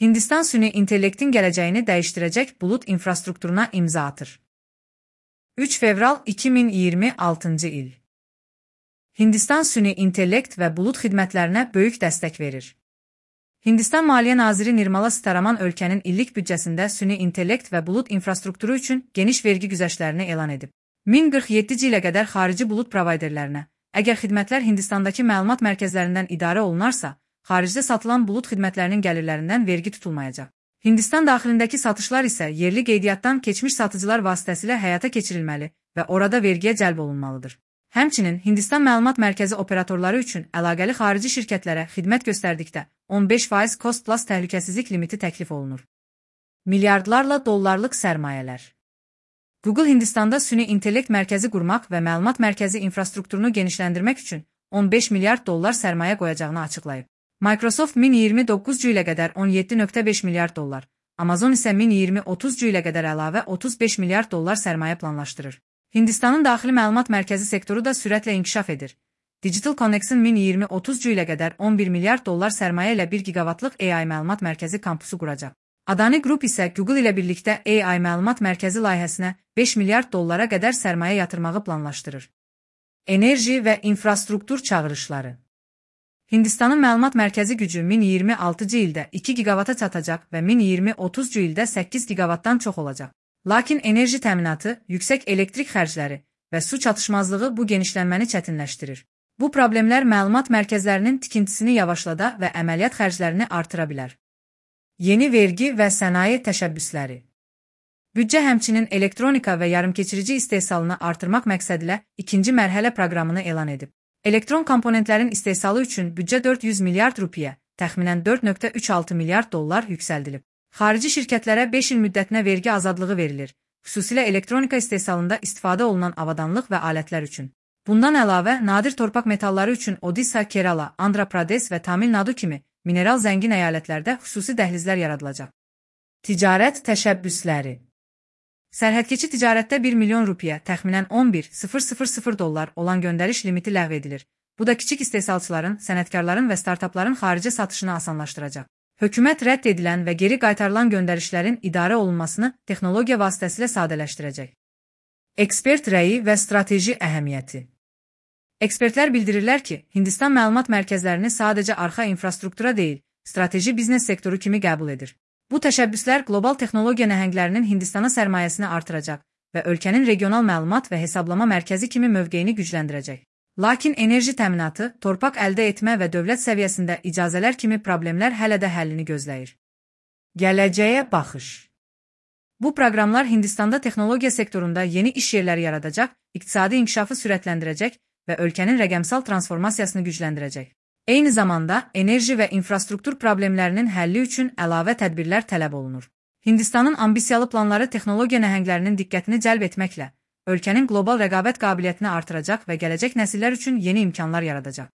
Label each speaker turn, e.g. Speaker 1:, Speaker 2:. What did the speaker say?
Speaker 1: Hindistan süni intellektin gələcəyini dəyişdirəcək bulut infrastrukturuna imza atır. 3 fevral 2026 il. Hindistan süni intellekt və bulut xidmətlərinə böyük dəstək verir. Hindistan Maliyyə Naziri Nirmala Sitaraman ölkənin illik büdcəsində süni intellekt və bulut infrastrukturu üçün geniş vergi güzəştlərini elan edib. 1047 ilə qədər xarici bulut provayderlərinə, əgər xidmətlər Hindistandakı məlumat mərkəzlərindən idarə olunarsa, xaricdə satılan bulut xidmətlərinin gəlirlərindən vergi tutulmayacaq. Hindistan daxilindəki satışlar isə yerli qeydiyyatdan keçmiş satıcılar vasitəsilə həyata keçirilməli və orada vergiyə cəlb olunmalıdır. Həmçinin Hindistan məlumat mərkəzi operatorları üçün əlaqəli xarici şirkətlərə xidmət göstərdikdə 15% cost plus təhlükəsizlik limiti təklif olunur. Milyardlarla dollarlıq sərmayələr. Google Hindistanda süni intellekt mərkəzi qurmaq və məlumat mərkəzi infrastrukturunu genişləndirmək üçün 15 milyard dollar sərmayə qoyacağını açıqlayıb. Microsoft 1029 ilə qədər 17,5 milyard dollar, Amazon isə 1020-30 ilə qədər əlavə 35 milyard dollar sərmayə planlaşdırır. Hindistanın daxili məlumat mərkəzi sektoru da sürətlə inkişaf edir. Digital Connex'in 1020-30 ilə qədər 11 milyard dollar sərmayə ilə 1 gigavatlıq AI məlumat mərkəzi kampusu quracaq. Adani Group isə Google ilə birlikdə AI məlumat mərkəzi layihəsinə 5 milyard dollara qədər sərmayə yatırmağı planlaşdırır. Enerji və infrastruktur çağırışları. Hindistanın məlumat mərkəzi gücü 1026 ildə 2 gigavata çatacaq və 1020-30 ildə 8 gigavatdan çox olacaq. Lakin enerji təminatı, yüksək elektrik xərcləri və su çatışmazlığı bu genişlənməni çətinləşdirir. Bu problemlər məlumat mərkəzlərinin tikintisini yavaşlada və əməliyyat xərclərini artıra bilər. Yeni vergi və sənaye təşəbbüsləri. Büdcə həmçinin elektronika və yarımkeçirici istehsalını artırmaq məqsədilə ikinci mərhələ proqramını elan edib. Elektron komponentlərin istehsalı üçün büdcə 400 milyard rupiyə, təxminən 4,36 milyard dollar yüksəldilib. Xarici şirkətlərə 5 il müddətinə vergi azadlığı verilir, xüsusilə elektronika istehsalında istifadə olunan avadanlıq və alətlər üçün. Bundan əlavə, nadir torpaq metalları üçün Odisha, Kerala, Andhra Pradesh və Tamil Nadu kimi mineral zəngin əyalətlərdə xüsusi dəhlizlər yaradılacaq. Ticarət təşəbbüsləri. Sərhədkeçi ticarətdə 1 milyon rupiyə, təxminən 11,000 dollar olan göndəriş limiti ləğv edilir. Bu da kiçik istehsalçıların, sənətkarların və startapların xaricə satışını asanlaşdıracaq. Hökumət rədd edilən və geri qaytarılan göndərişlərin idarə olunmasını texnologiya vasitəsilə sadələşdirəcək. Ekspert rəyi və strateji əhəmiyyəti. Ekspertlər bildirirlər ki, Hindistan məlumat mərkəzlərini sadəcə arxa infrastruktura deyil, strateji biznes sektoru kimi qəbul edir. Bu təşəbbüslər qlobal texnologiya nəhənglərinin Hindistana sərmayəsini artıracaq və ölkənin regional məlumat və hesablama mərkəzi kimi mövqeyini gücləndirəcək. Lakin enerji təminatı, torpaq əldə etmə və dövlət səviyyəsində icazələr kimi problemlər hələ də həllini gözləyir. Gələcəyə baxış. Bu proqramlar Hindistanda texnologiya sektorunda yeni iş yerləri yaradacaq, iqtisadi inkişafı sürətləndirəcək və ölkənin rəqəmsal transformasiyasını gücləndirəcək. Eyni zamanda, enerji və infrastruktur problemlərinin həlli üçün əlavə tədbirlər tələb olunur. Hindistanın ambisiyalı planları texnologiya nəhənglərinin diqqətini cəlb etməklə, ölkənin qlobal rəqabət qabiliyyətini artıracaq və gələcək nəsillər üçün yeni imkanlar yaradacaq.